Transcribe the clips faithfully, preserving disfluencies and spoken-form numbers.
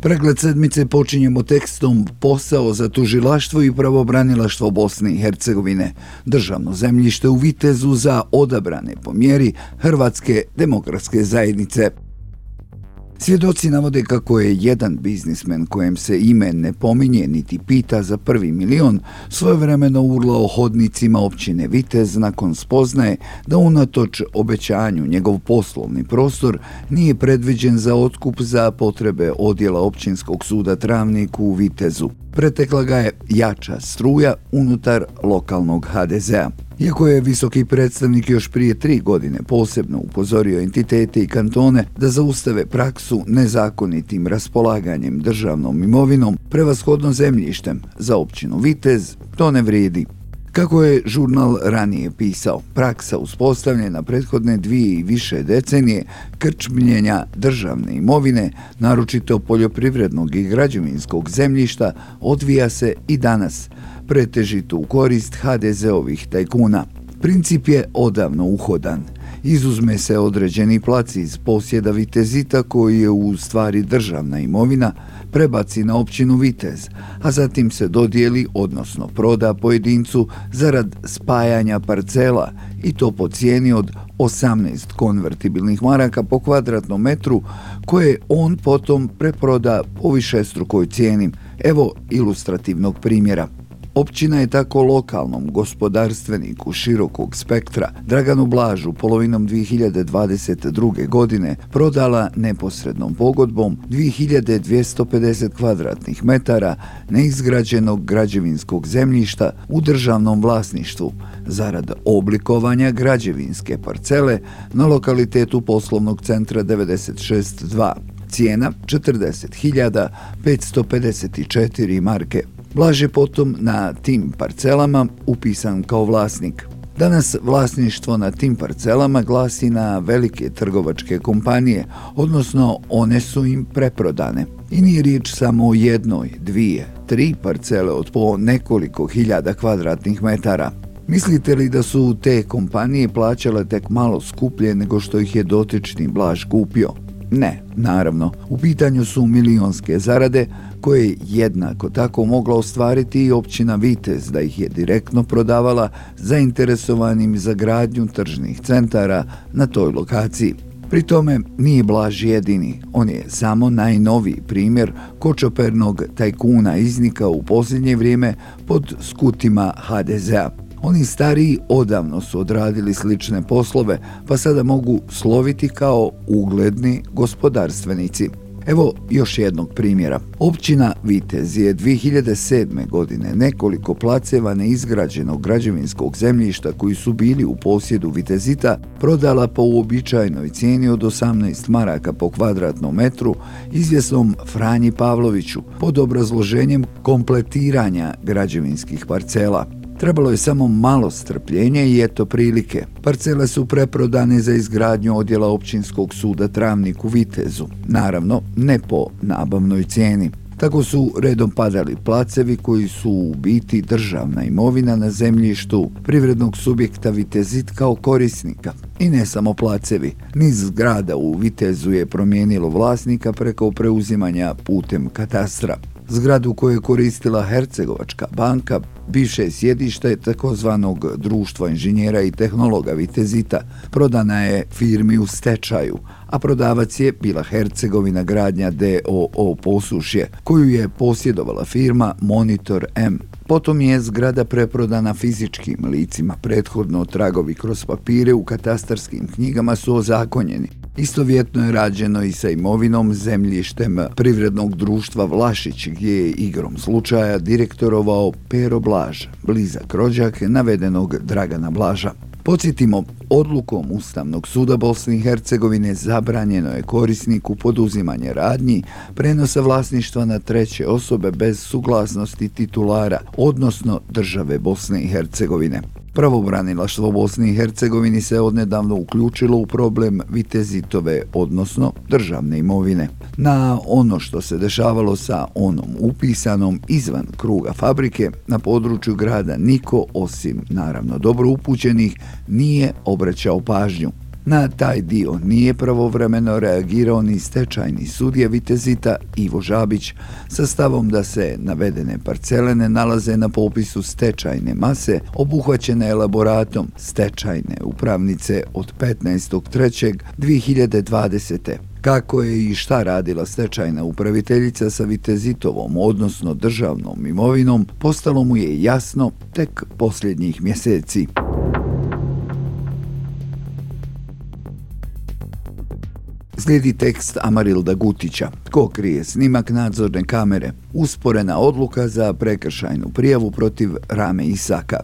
Pregled sedmice počinjemo tekstom Posao za tužilaštvo i pravobranilaštvo Bosne i Hercegovine. Državno zemljište u Vitezu za odabrane po mjeri Hrvatske demokratske zajednice. Svjedoci navode kako je jedan biznismen kojem se ime ne pominje niti pita za prvi milion svojevremeno urlao hodnicima općine Vitez nakon spoznaje da unatoč obećanju njegov poslovni prostor nije predviđen za otkup za potrebe odjela općinskog suda Travnik u Vitezu. Pretekla ga je jača struja unutar lokalnog ha de zea. Iako je visoki predstavnik još prije tri godine posebno upozorio entitete i kantone da zaustave praksu nezakonitim raspolaganjem državnom imovinom, prevashodno zemljištem za općinu Vitez, to ne vrijedi. Kako je žurnal ranije pisao, praksa uspostavljena prethodne dvije i više decenije krčmljenja državne imovine, naročito poljoprivrednog i građevinskog zemljišta, odvija se i danas, pretežito u korist ha de zeovih tajkuna. Princip je odavno uhodan. Izuzme se određeni plac iz posjeda Vitezita koji je u stvari državna imovina, prebaci na općinu Vitez, a zatim se dodijeli, odnosno proda pojedincu zarad spajanja parcela i to po cijeni od osamnaest konvertibilnih maraka po kvadratnom metru koje on potom preproda po višestrukoj cijeni. Evo ilustrativnog primjera. Općina je tako lokalnom gospodarstveniku širokog spektra Draganu Blažu polovinom dvije hiljade dvadeset druge. godine prodala neposrednom pogodbom dvije hiljade dvjesto pedeset kvadratnih metara neizgrađenog građevinskog zemljišta u državnom vlasništvu zarad oblikovanja građevinske parcele na lokalitetu poslovnog centra devedeset šest dva. Cijena četrdeset hiljada petsto pedeset četiri marke. Blaž je potom na tim parcelama upisan kao vlasnik. Danas vlasništvo na tim parcelama glasi na velike trgovačke kompanije, odnosno one su im preprodane. I nije riječ samo o jednoj, dvije, tri parcele od po nekoliko hiljada kvadratnih metara. Mislite li da su te kompanije plaćale tek malo skuplje nego što ih je dotični Blaž kupio? Ne, naravno. U pitanju su milionske zarade koje je jednako tako mogla ostvariti i općina Vitez da ih je direktno prodavala zainteresovanim za gradnju tržnih centara na toj lokaciji. Pri tome nije Blaž jedini, on je samo najnoviji primjer kočopernog tajkuna iznika u posljednje vrijeme pod skutima ha de zea. Oni stariji odavno su odradili slične poslove, pa sada mogu sloviti kao ugledni gospodarstvenici. Evo još jednog primjera. Općina Vitez je dvije hiljade sedme. godine nekoliko placeva neizgrađenog građevinskog zemljišta koji su bili u posjedu Vitezita prodala po uobičajenoj cijeni od osamnaest maraka po kvadratnom metru izvjesnom Franji Pavloviću pod obrazloženjem kompletiranja građevinskih parcela. Trebalo je samo malo strpljenja i eto prilike. Parcele su preprodane za izgradnju odjela općinskog suda Travnik u Vitezu. Naravno, ne po nabavnoj cijeni. Tako su redom padali placevi koji su u biti državna imovina na zemljištu privrednog subjekta Vitezit kao korisnika. I ne samo placevi. Niz zgrada u Vitezu je promijenilo vlasnika preko preuzimanja putem katastra. Zgradu koju je koristila Hercegovačka banka, bivše sjedište takozvanog društva inženjera i tehnologa Vitezita, prodana je firmi u stečaju, a prodavac je bila Hercegovina gradnja de o o Posušje, koju je posjedovala firma Monitor M. Potom je zgrada preprodana fizičkim licima, prethodno tragovi kroz papire u katastarskim knjigama su ozakonjeni. Istovjetno je rađeno i sa imovinom zemljištem privrednog društva Vlašić, gdje je igrom slučaja direktorovao Pero Blaž, blizak rođak navedenog Dragana Blaža. Podsjetimo, odlukom Ustavnog suda Bosne i Hercegovine zabranjeno je korisniku poduzimanje radnji prenosa vlasništva na treće osobe bez suglasnosti titulara, odnosno države Bosne i Hercegovine. Pravobranilaštvo Bosne i Hercegovine se odnedavno uključilo u problem Vitezitove, odnosno državne imovine. Na ono što se dešavalo sa onom upisanom izvan kruga fabrike na području grada niko, osim naravno dobro upućenih, nije obraćao pažnju. Na taj dio nije pravovremeno reagirao ni stečajni sudija Vitezita Ivo Žabić sa stavom da se navedene parcele ne nalaze na popisu stečajne mase obuhvaćene elaboratom stečajne upravnice od petnaestog trećeg dvije hiljade dvadesete. Kako je i šta radila stečajna upraviteljica sa Vitezitovom, odnosno državnom imovinom, postalo mu je jasno tek posljednjih mjeseci. Slijedi tekst Amarilda Gutića. Ko krije snimak nadzorne kamere? Usporena odluka za prekršajnu prijavu protiv Rame Isaka.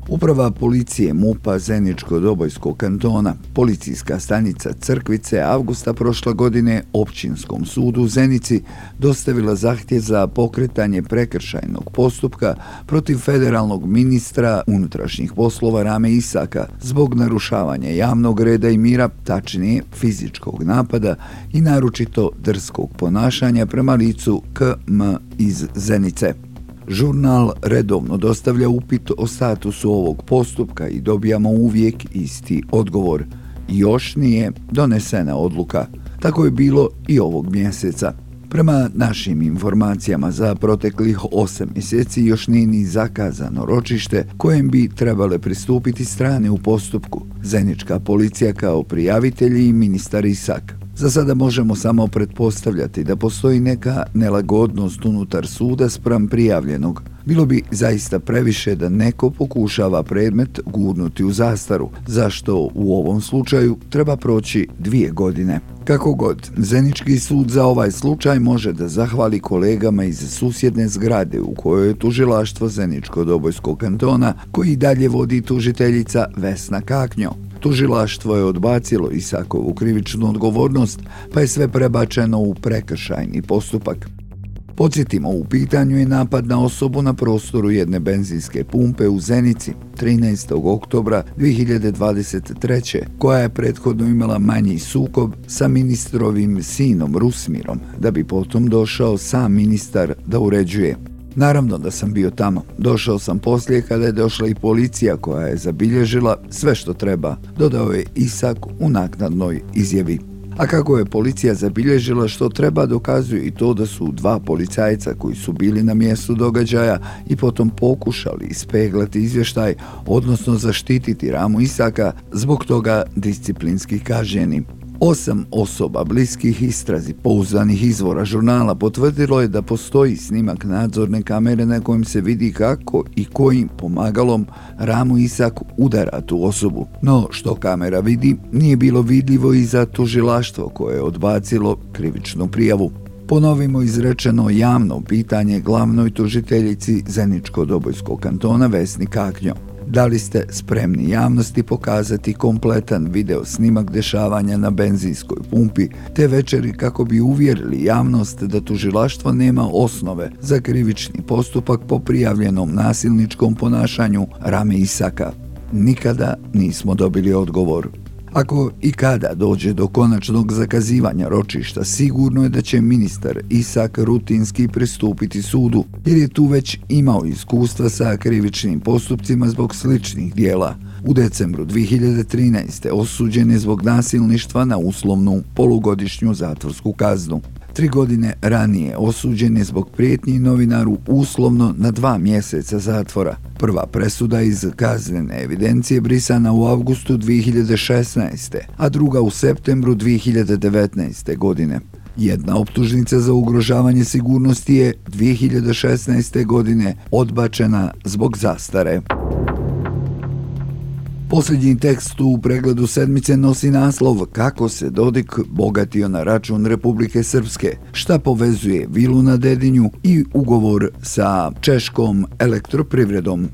Uprava policije MUP-a Zeničko-Dobojskog kantona, policijska stanica Crkvice, avgusta prošle godine Općinskom sudu u Zenici dostavila zahtjev za pokretanje prekršajnog postupka protiv federalnog ministra unutrašnjih poslova Rame Isaka zbog narušavanja javnog reda i mira, tačnije fizičkog napada i naročito drskog ponašanja prema licu K M iz Zenice. Žurnal redovno dostavlja upit o statusu ovog postupka i dobijamo uvijek isti odgovor. Još nije donesena odluka. Tako je bilo i ovog mjeseca. Prema našim informacijama za proteklih osam mjeseci još nije ni zakazano ročište kojem bi trebale pristupiti strane u postupku. Zenička policija kao prijavitelji i ministar Isak. Za sada možemo samo pretpostavljati da postoji neka nelagodnost unutar suda spram prijavljenog. Bilo bi zaista previše da neko pokušava predmet gurnuti u zastaru, zašto u ovom slučaju treba proći dvije godine. Kako god, Zenički sud za ovaj slučaj može da zahvali kolegama iz susjedne zgrade u kojoj je tužilaštvo Zeničko-Dobojskog kantona, koji dalje vodi tužiteljica Vesna Kaknjo. Tužilaštvo je odbacilo Isakovu krivičnu odgovornost, pa je sve prebačeno u prekršajni postupak. Podsjetimo, u pitanju je napad na osobu na prostoru jedne benzinske pumpe u Zenici trinaestog oktobra dvije hiljade dvadeset treće koja je prethodno imala manji sukob sa ministrovim sinom Rusmirom, da bi potom došao sam ministar da uređuje. Naravno da sam bio tamo. Došao sam poslije kada je došla i policija koja je zabilježila sve što treba, dodao je Isak u naknadnoj izjavi. A kako je policija zabilježila što treba, dokazuje i to da su dva policajca koji su bili na mjestu događaja i potom pokušali ispeglati izvještaj, odnosno zaštititi Ramu Isaka, zbog toga disciplinski kažnjeni. Osam osoba bliskih istrazi pouzdanih izvora žurnala potvrdilo je da postoji snimak nadzorne kamere na kojem se vidi kako i kojim pomagalom Ramu Isak udara tu osobu. No, što kamera vidi, nije bilo vidljivo i za tužilaštvo koje je odbacilo krivičnu prijavu. Ponovimo izrečeno javno pitanje glavnoj tužiteljici Zeničko-Dobojskog kantona Vesni Kaknjo. Da li ste spremni javnosti pokazati kompletan video snimak dešavanja na benzinskoj pumpi te večeri kako bi uvjerili javnost da tužilaštvo nema osnove za krivični postupak po prijavljenom nasilničkom ponašanju Rame Isaka? Nikada nismo dobili odgovor. Ako i kada dođe do konačnog zakazivanja ročišta, sigurno je da će ministar Isak rutinski pristupiti sudu, jer je tu već imao iskustva sa krivičnim postupcima zbog sličnih dijela. U decembru dvije hiljade trinaeste. osuđen je zbog nasilništva na uslovnu polugodišnju zatvorsku kaznu. Tri godine ranije osuđen je zbog prijetnji novinaru uslovno na dva mjeseca zatvora. Prva presuda iz kaznene evidencije brisana u avgustu dvije hiljade šesnaeste. a druga u septembru dvije hiljade devetnaeste. godine. Jedna optužnica za ugrožavanje sigurnosti je dvije hiljade šesnaeste. godine odbačena zbog zastare. Posljednji tekst u pregledu sedmice nosi naslov Kako se Dodik bogatio na račun Republike Srpske, šta povezuje vilu na Dedinju i ugovor sa češkom elektroprivredom.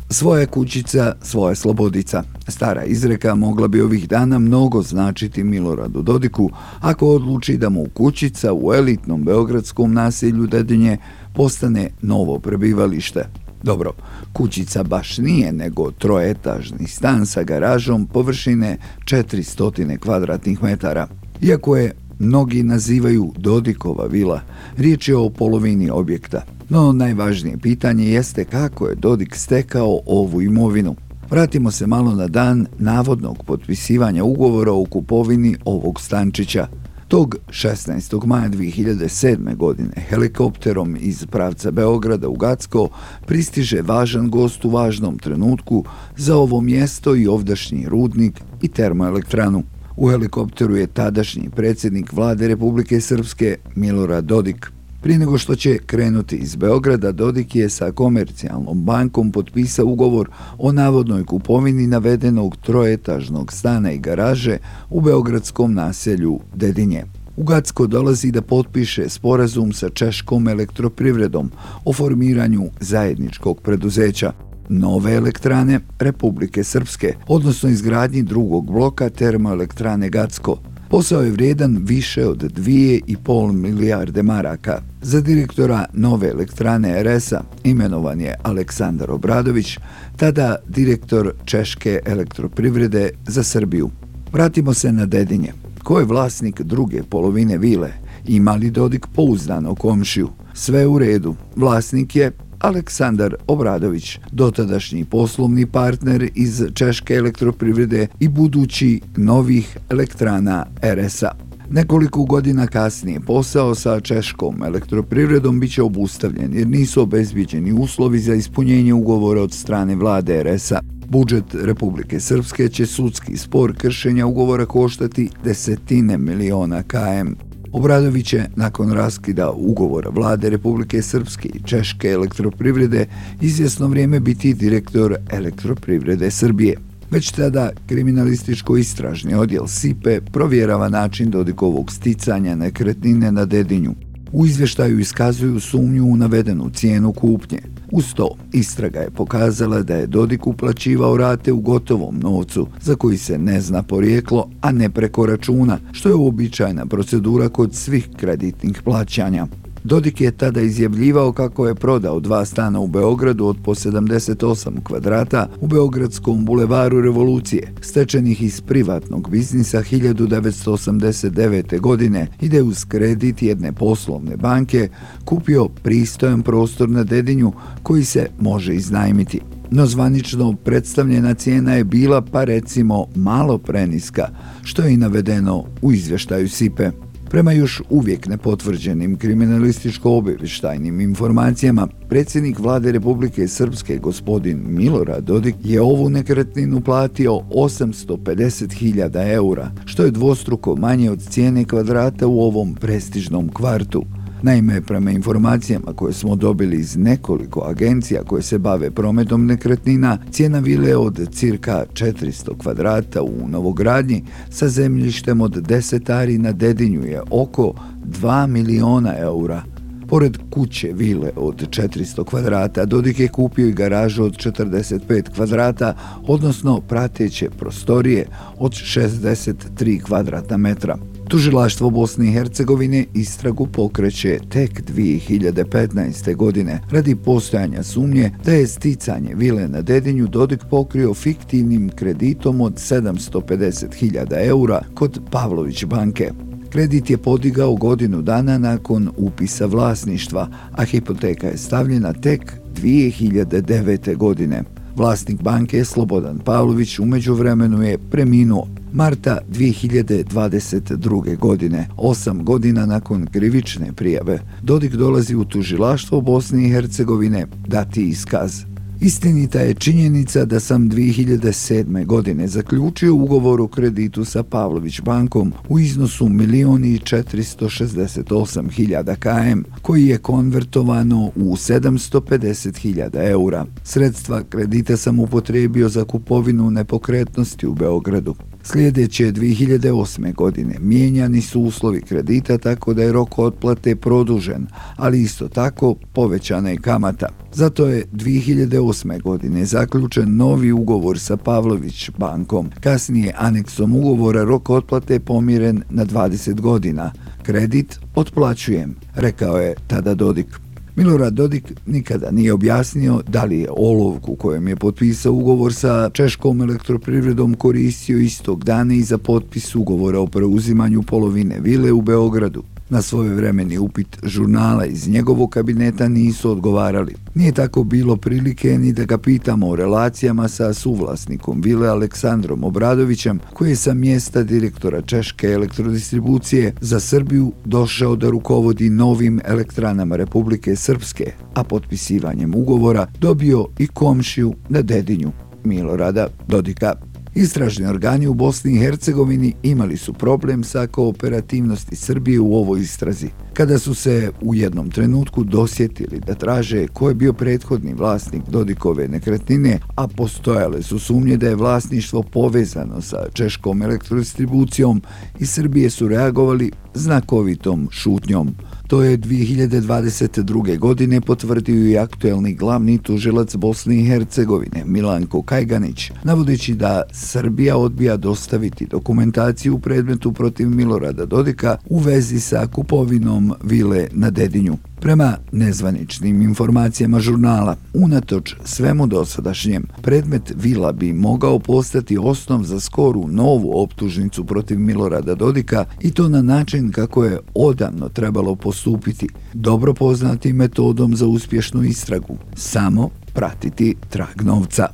Svoja kućica, svoja slobodica. Stara izreka mogla bi ovih dana mnogo značiti Miloradu Dodiku ako odluči da mu kućica u elitnom beogradskom naselju Dedinje postane novo prebivalište. Dobro, kućica baš nije, nego troetažni stan sa garažom površine četiristo kvadratnih metara. Iako je mnogi nazivaju Dodikova vila, riječ je o polovini objekta. No najvažnije pitanje jeste kako je Dodik stekao ovu imovinu. Vratimo se malo na dan navodnog potpisivanja ugovora o kupovini ovog stančića. Tog šesnaestog maja dvije hiljade sedme. godine helikopterom iz pravca Beograda u Gacko pristiže važan gost u važnom trenutku za ovo mjesto i ovdašnji rudnik i termoelektranu. U helikopteru je tadašnji predsjednik vlade Republike Srpske Milorad Dodik. Prije nego što će krenuti iz Beograda, Dodik je sa Komercijalnom bankom potpisao ugovor o navodnoj kupovini navedenog troetažnog stana i garaže u beogradskom naselju Dedinje. U Gacko dolazi da potpiše sporazum sa Češkom elektroprivredom o formiranju zajedničkog preduzeća Nove elektrane Republike Srpske, odnosno izgradnji drugog bloka termoelektrane Gacko. Posao je vrijedan više od dvije i pol milijarde maraka. Za direktora Nove elektrane er es a imenovan je Aleksandar Obradović, tada direktor Češke elektroprivrede za Srbiju. Vratimo se na Dedinje. Ko je vlasnik druge polovine vile? Ima li Dodik pouzdano komšiju? Sve u redu. Vlasnik je Aleksandar Obradović, dotadašnji poslovni partner iz Češke elektroprivrede i budući novih elektrana er es a. Nekoliko godina kasnije posao sa Češkom elektroprivredom biće obustavljen jer nisu obezbijeđeni uslovi za ispunjenje ugovora od strane vlade er es a. Budžet Republike Srpske će sudski spor kršenja ugovora koštati desetine miliona km. Obradović će nakon raskida ugovora vlade Republike Srpske i Češke elektroprivrede izvjesno vrijeme biti direktor Elektroprivrede Srbije. Već tada kriminalističko-istražni odjel S I P E provjerava način Dodikovog sticanja nekretnine na Dedinju. U izvještaju iskazuju sumnju u navedenu cijenu kupnje. Uz to, istraga je pokazala da je Dodik uplaćivao rate u gotovom novcu, za koji se ne zna porijeklo, a ne preko računa, što je uobičajena procedura kod svih kreditnih plaćanja. Dodik je tada izjavljivao kako je prodao dva stana u Beogradu od po sedamdeset osam kvadrata u Beogradskom bulevaru Revolucije, stečenih iz privatnog biznisa hiljadu devetsto osamdeset devete. godine i da je uz kredit jedne poslovne banke kupio pristojan prostor na Dedinju koji se može iznajmiti. No zvanično predstavljena cijena je bila pa recimo malo preniska, što je i navedeno u izvještaju S I P E. Prema još uvijek nepotvrđenim kriminalističko-obavještajnim informacijama, predsjednik vlade Republike Srpske gospodin Milorad Dodik je ovu nekretninu platio osamsto pedeset hiljada eura, što je dvostruko manje od cijene kvadrata u ovom prestižnom kvartu. Naime, prema informacijama koje smo dobili iz nekoliko agencija koje se bave prometom nekretnina, cijena vile od cirka četiristo kvadrata u novogradnji sa zemljištem od deset ari na Dedinju je oko dva miliona eura. Pored kuće vile od četiristo kvadrata, Dodik je kupio i garažu od četrdeset pet kvadrata, odnosno prateće prostorije od šezdeset tri kvadratna metra. Tužilaštvo Bosne i Hercegovine istragu pokreće tek dvije hiljade petnaeste. godine radi postojanja sumnje da je sticanje vile na Dedinju Dodik pokrio fiktivnim kreditom od sedamsto pedeset hiljada eura kod Pavlović banke. Kredit je podigao godinu dana nakon upisa vlasništva, a hipoteka je stavljena tek dvije hiljade devete. godine. Vlasnik banke Slobodan Pavlović u međuvremenu je preminuo marta dvije hiljade dvadeset druge. godine, osam godina nakon krivične prijave. Dodik dolazi u tužilaštvo Bosne i Hercegovine dati iskaz. Istinita je činjenica da sam dvije hiljade sedme. godine zaključio ugovor o kreditu sa Pavlović bankom u iznosu milion i četiristo šezdeset osam hiljada km, koji je konvertovano u sedamsto pedeset hiljada eura. Sredstva kredita sam upotrijebio za kupovinu nepokretnosti u Beogradu. Sljedeće dvije hiljade osme. godine mijenjani su uslovi kredita tako da je rok otplate produžen, ali isto tako povećana je kamata. Zato je dvije hiljade osme. godine zaključen novi ugovor sa Pavlović bankom. Kasnije aneksom ugovora rok otplate pomiren na dvadeset godina. Kredit otplaćujem, rekao je tada Dodik. Milorad Dodik nikada nije objasnio da li je olovku kojem je potpisao ugovor sa Češkom elektroprivredom koristio istog dana i za potpis ugovora o preuzimanju polovine vile u Beogradu. Na svojevremeni upit žurnala iz njegovog kabineta nisu odgovarali. Nije tako bilo prilike ni da ga pitamo o relacijama sa suvlasnikom vile Aleksandrom Obradovićem, koji je sa mjesta direktora Češke elektrodistribucije za Srbiju došao da rukovodi novim elektranama Republike Srpske, a potpisivanjem ugovora dobio i komšiju na Dedinju, Milorada Dodika. Istražni organi u Bosni i Hercegovini imali su problem sa kooperativnosti Srbije u ovoj istrazi. Kada su se u jednom trenutku dosjetili da traže ko je bio prethodni vlasnik Dodikove nekretnine, a postojale su sumnje da je vlasništvo povezano sa Češkom elektrodistribucijom, iz Srbije su reagovali znakovitom šutnjom. To je dvije hiljade dvadeset druge. godine potvrdio i aktuelni glavni tužilac Bosne i Hercegovine Milanko Kajganić, navodeći da Srbija odbija dostaviti dokumentaciju u predmetu protiv Milorada Dodika u vezi sa kupovinom vile na Dedinju. Prema nezvaničnim informacijama žurnala, unatoč svemu dosadašnjem, predmet vila bi mogao postati osnov za skoru novu optužnicu protiv Milorada Dodika, i to na način kako je odavno trebalo postupiti, dobro poznatim metodom za uspješnu istragu, samo pratiti trag novca.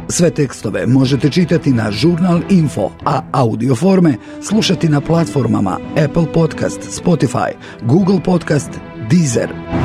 Sve tekstove možete čitati na Žurnal Info, a audio forme slušati na platformama Apple Podcast, Spotify, Google Podcast, Deezer.